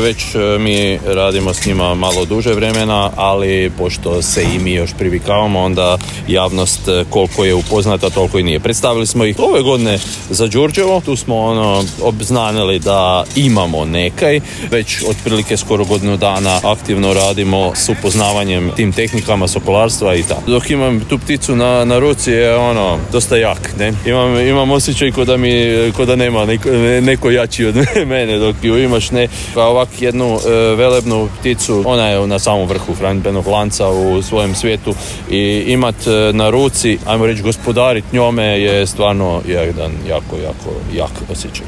Već mi radimo s njima malo duže vremena, ali pošto se i mi još privikavamo, onda javnost koliko je upoznata, toliko i nije. Predstavili smo ih ove godine za Đurđevo, tu smo obznanili da imamo nekaj, već otprilike skoro godinu dana aktivno radimo s upoznavanjem tim tehnikama sokolarstva i tako. Dok imam tu pticu na ruci je dosta jak, ne? Imam osjećaj ko da nema neko jači od mene, dok ju imaš ne, pa ovak jednu velebnu pticu, ona je na samom vrhu hranidbenog lanca u svojem svijetu i imat na ruci, ajmo reći gospodarit njome je stvarno jedan jako jak osjećaj.